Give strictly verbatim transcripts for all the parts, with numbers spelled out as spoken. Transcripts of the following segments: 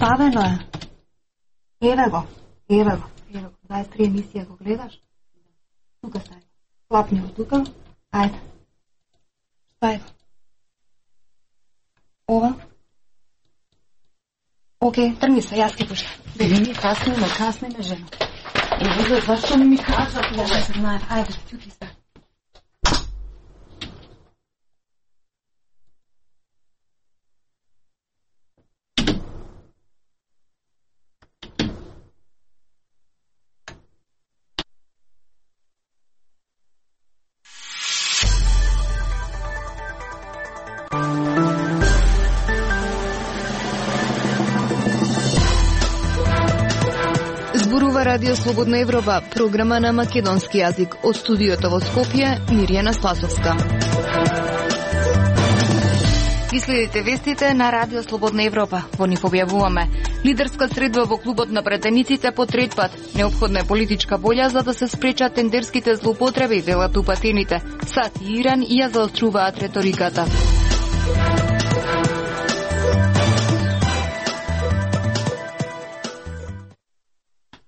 Ставено е. Еве го, еве го, еве го. дваесет три емисија го гледаш? Тука стави. Клапни го тука. Ајде. Стави го. Ова. Океј, тргни се, јас ке пуштам. Бели ми касниме, касниме, жена. Еве, зашто не ми кажа? Ја не се знае. Ајде, тюки се. Зборува Радио Слободна Европа, програма на македонски јазик. Од студиото во Скопје, Мирјана Спасовска. Ви следите вестите на Радио Слободна Европа. Во нив објавуваме: лидерска средба во клубот на претениците по трет пат. Неопходна е политичка волја за да се спречат тендерските злоупотреби, велат упатените. САД и Иран ја заоструваат реториката.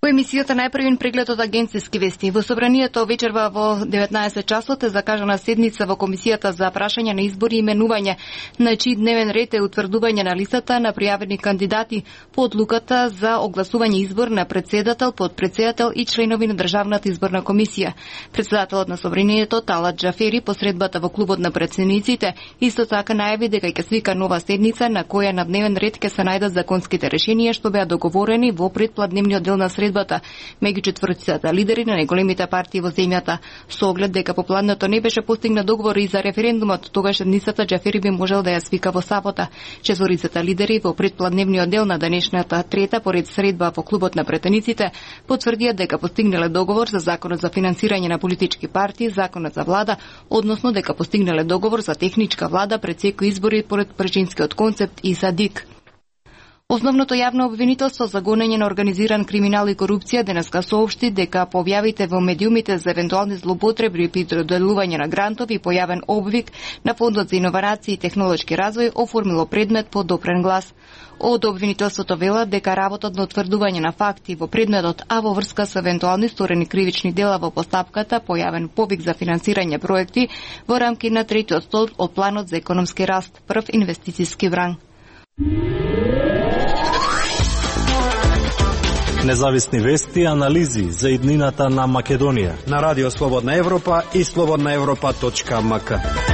Во емисијата најпрвин преглед од агенцијски вести. Во собранието вечерва во деветнаесет часот е закажана седница во Комисијата за прашање на избори и именување, на чиј дневен ред е утврдување на листата на пријавени кандидати по одлуката за огласување избор на председател, подпредседател и членови на Државната изборна комисија. Председателот на собранието Талат Џафери по средбата во клубот на претседниците исто така најави дека ќе свика нова седница на која на дневен ред ќе се најдат законските решенија што беа договорени во предпладневниот дел на средбата меѓу четвртицата лидери на најголемите партии во земјата. Со оглед дека по плането не беше постигнат договор и за референдумот, тогаш седницата Џафери би можел да ја свика во сабота. Четворицата лидери во предпладневниот дел на денешната трета поред средба во клубот на претениците потврдија дека постигнале договор за законот за финансирање на политички партии, законот за влада, односно дека постигнале договор за техничка влада пред секои избори поред причинскиот концепт и САДИК. Основното јавно обвинителство за гонење на организиран криминал и корупција денеска соопшти дека по објавите во медиумите за евентуални злоупотреби при доделување на грантови и појавен обвик на Фондот за иновации и технолошки развој оформило предмет по допрен глас. Од обвинителството велат дека работот на утврдување на факти во предметот, а во врска со евентуални сторени кривични дела во постапката, појавен повик за финансирање проекти во рамки на третиот столб од планот за економски раст, прв инвестициски вран. Независни вести и анализи за иднината на Македонија на Радио Слободна Европа и слободна европа точка ем ка.